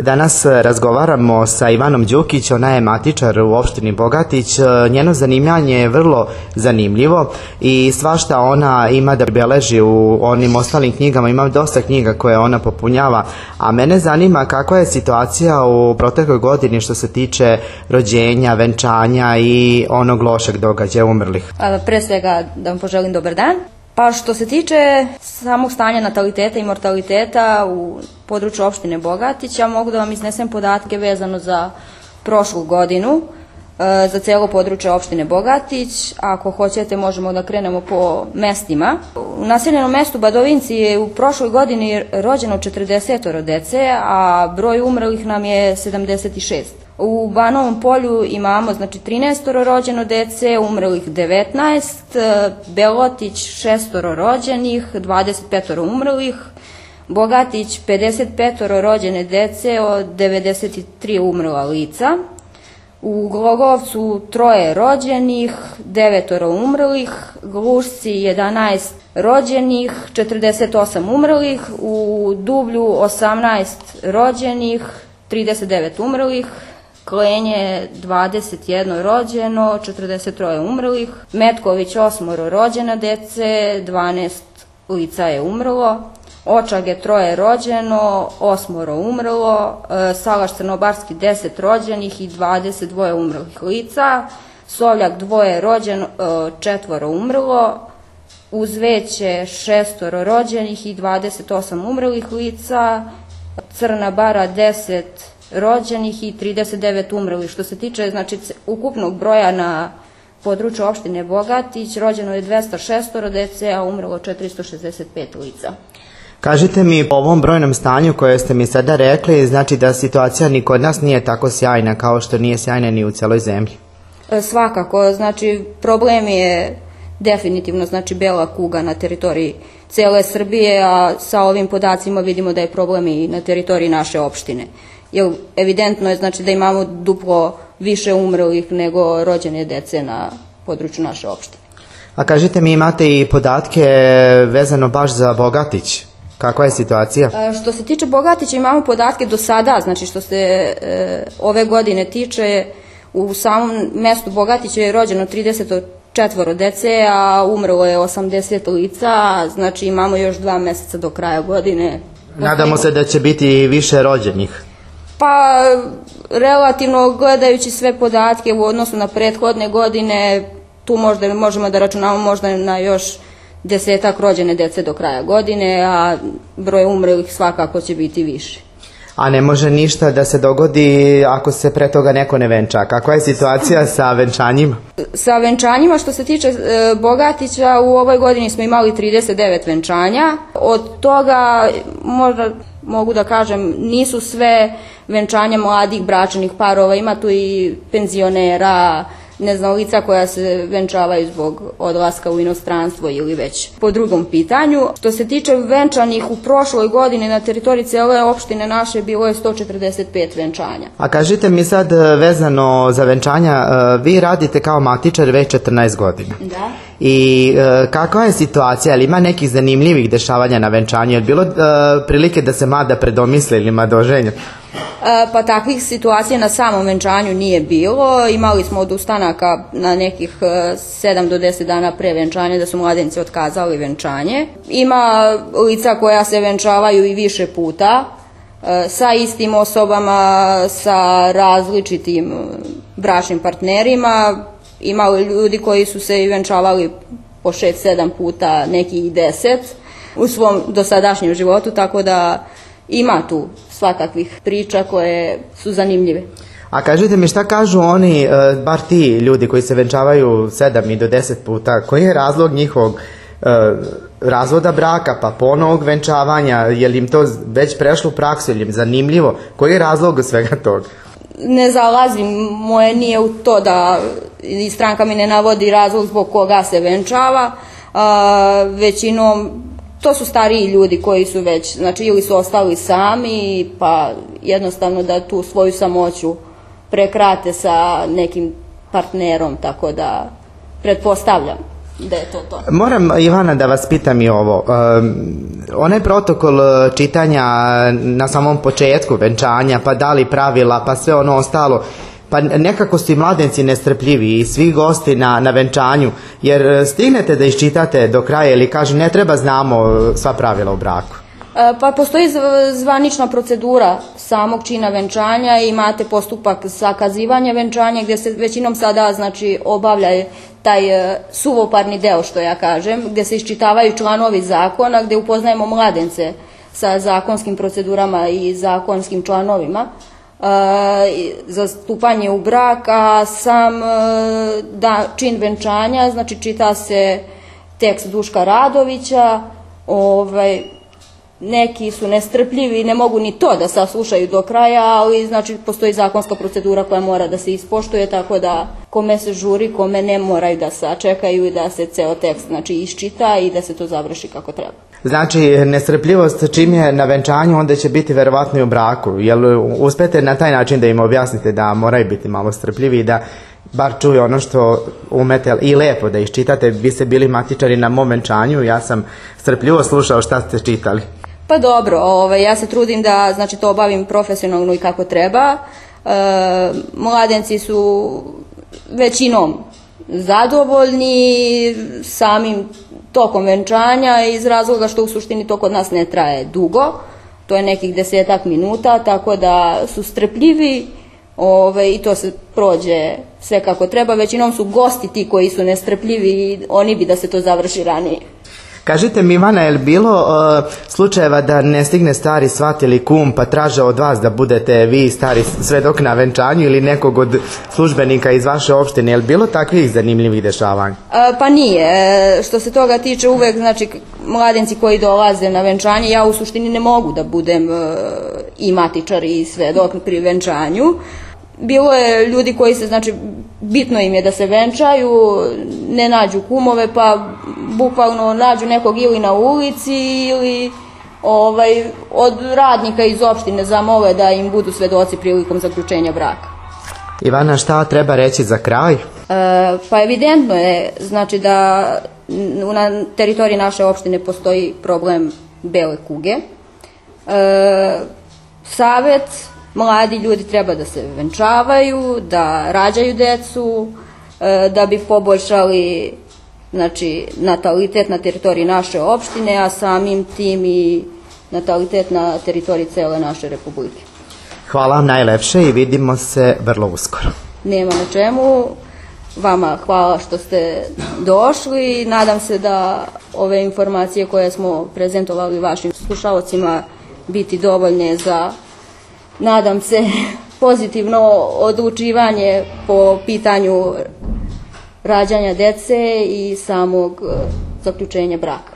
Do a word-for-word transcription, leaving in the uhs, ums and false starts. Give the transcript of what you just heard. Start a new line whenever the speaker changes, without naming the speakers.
Danas razgovaramo sa Ivanom Đukić, ona je matičar u opštini Bogatić. Njeno zanimanje je vrlo zanimljivo i svašta ona ima da beleži u onim ostalim knjigama, ima dosta knjiga koje ona popunjava, a mene zanima kakva je situacija u protekloj godini što se tiče rođenja, venčanja i onog lošeg događaja umrlih.
Pre svega da vam poželim dobar dan. Pa što se tiče samog stanja nataliteta i mortaliteta u području opštine Bogatić, ja mogu da vam iznesem podatke vezano za prošlu godinu, za celo područje opštine Bogatić. Ako hoćete možemo da krenemo po mestima. U naseljenom mestu Badovinci je u prošloj godini rođeno četrdeset dece, a broj umrlih nam je sedamdeset šest. U Banovom Polju imamo znači trinaest rođeno dece, umrlih devetnaest, Belotić šest rođenih, dvadeset pet umrlih, Bogatić pedeset pet rođene dece, od devedeset tri umrla lica, u Glogovcu troje rođenih, devet umrlih, Glušci jedanaest rođenih, četrdeset osam umrlih, u Dublju osamnaest rođenih, trideset devet umrlih, Klenje dvadeset jedno rođeno, četrdeset tri umrlih, Metković osmoro rođena dece, dvanaest lica je umrlo, Očage troje rođeno, osmoro umrlo, Salaš Crnobarski deset rođenih i dvadeset dva umrlih lica, Sovljak dvoje rođeno, četvoro umrlo, Uzveće šestoro rođenih i dvadeset osam umrlih lica, Crna Bara deset rođenih i trideset devet umrlih. Što se tiče znači, ukupnog broja na području opštine Bogatić, rođeno je dvesta šest dece, a umrlo četiristo šezdeset pet lica.
Kažite mi, po ovom brojnom stanju koje ste mi sada rekli, znači da situacija ni kod nas nije tako sjajna kao što nije sjajna ni u celoj zemlji?
Svakako, znači problem je definitivno znači bela kuga na teritoriji cele Srbije, a sa ovim podacima vidimo da je problem i na teritoriji naše opštine. Jer evidentno je znači da imamo duplo više umrlih nego rođene dece na području naše opštine.
A kažite mi, imate i podatke vezano baš za Bogatić? Kakva je situacija?
Što se tiče Bogatića imamo podatke do sada, znači što se e, ove godine tiče, u samom mestu Bogatića je rođeno trideset četvoro dece, a umrlo je osamdeset lica, znači imamo još dva meseca do kraja godine.
Nadamo se da će biti više rođenih.
Pa, relativno gledajući sve podatke u odnosu na prethodne godine, tu možda možemo da računamo možda na još desetak rođene dece do kraja godine, a broj umrlih svakako će biti više.
A ne može ništa da se dogodi ako se pre toga neko ne venča? Kakva je situacija sa venčanjima?
Sa venčanjima, što se tiče e, Bogatića, u ovoj godini smo imali trideset devet venčanja. Od toga, možda mogu da kažem, nisu sve venčanja mladih bračnih parova, ima tu i penzionera, ne znam, lica koja se venčavaju zbog odlaska u inostranstvo ili već po drugom pitanju. Što se tiče venčanih u prošloj godini na teritoriji cele opštine naše bilo je sto četrdeset pet venčanja.
A kažite mi sad vezano za venčanja, vi radite kao matičar već četrnaest godina.
Da.
I e, kakva je situacija, ali ima nekih zanimljivih dešavanja na venčanju? Je li bilo e, prilike da se mada predomisle ili madoženja?
E, pa takvih situacija na samom venčanju nije bilo. Imali smo od ustanaka na nekih e, sedam do deset dana pre venčanja da su mladenci otkazali venčanje. Ima lica koja se venčavaju i više puta e, sa istim osobama, sa različitim bračnim partnerima. Imali ljudi koji su se i venčavali po šest sedam puta, neki i deset u svom dosadašnjem životu, tako da ima tu svakakvih priča koje su zanimljive.
A kažite mi, šta kažu oni, bar ti ljudi koji se venčavaju sedam i do deset puta, koji je razlog njihovog razvoda braka, pa ponovog venčavanja, je li im to već prešlo u praksu, je li im zanimljivo, koji je razlog svega toga?
Ne zalazim, moje nije u to da i stranka mi ne navodi razlog zbog koga se venčava, a, većinom to su stariji ljudi koji su već, znači ili su ostali sami, pa jednostavno da tu svoju samoću prekrate sa nekim partnerom, tako da pretpostavljam da je to to.
Moram, Ivana, da vas pitam i ovo. Um, onaj protokol čitanja na samom početku venčanja, pa da li pravila, pa sve ono ostalo, pa nekako su i mladenci nestrpljivi i svi gosti na, na venčanju, jer stignete da iščitate do kraja ili kaže ne treba znamo sva pravila u braku?
Pa postoji zvanična procedura samog čina venčanja i imate postupak zakazivanja venčanja gdje se većinom sada znači obavlja taj suvoparni deo, što ja kažem, gdje se iščitavaju članovi zakona, gdje upoznajemo mladence sa zakonskim procedurama i zakonskim članovima za stupanje u brak, a sam da, čin venčanja, znači čita se tekst Duška Radovića, ovaj, neki su nestrpljivi i ne mogu ni to da saslušaju do kraja, ali znači postoji zakonska procedura koja mora da se ispoštuje, tako da kome se žuri, kome ne, moraju da sačekaju i da se ceo tekst znači iščita i da se to završi kako treba.
Znači, nestrpljivost čim je na venčanju, onda će biti verovatno i u braku. Jel uspete na taj način da im objasnite da moraju biti malo strpljivi i da bar čuju ono što umete i lepo da iščitate? Vi ste bili matičari na mom venčanju, ja sam strpljivo slušao šta ste čitali.
Pa dobro, ovaj, ja se trudim da znači, to obavim profesionalno i kako treba. E, mladenci su većinom zadovoljni samim tokom venčanja iz razloga što u suštini to kod nas ne traje dugo, to je nekih desetak minuta, tako da su strpljivi ove, i to se prođe sve kako treba. Većinom su gosti ti koji su nestrpljivi i oni bi da se to završi ranije.
Kažite mi, Ivana, je li bilo uh, slučajeva da ne stigne stari svat ili kum pa traže od vas da budete vi stari svedok na venčanju ili nekog od službenika iz vaše opštine? Je li bilo takvih zanimljivih dešavanja?
Uh, pa nije. E, što se toga tiče, uvek znači mladenci koji dolaze na venčanje, ja u suštini ne mogu da budem uh, i matičar i svedok pri venčanju. Bilo je ljudi koji se, znači, bitno im je da se venčaju, ne nađu kumove, pa bukvalno nađu nekog ili na ulici ili ovaj, od radnika iz opštine zamole da im budu svedoci prilikom zaključenja braka.
Ivana, šta treba reći za kraj?
E, pa evidentno je, znači, da na teritoriji naše opštine postoji problem bele kuge. E, Savet, mladi ljudi treba da se venčavaju, da rađaju decu, da bi poboljšali znači, natalitet na teritoriji naše opštine, a samim tim i natalitet na teritoriji cele naše republike.
Hvala vam najlepše i vidimo se vrlo uskoro.
Nema na čemu. Vama hvala što ste došli. Nadam se da ove informacije koje smo prezentovali vašim slušalcima biti dovoljne za, nadam se, pozitivno odlučivanje po pitanju rađanja dece i samog zaključenja braka.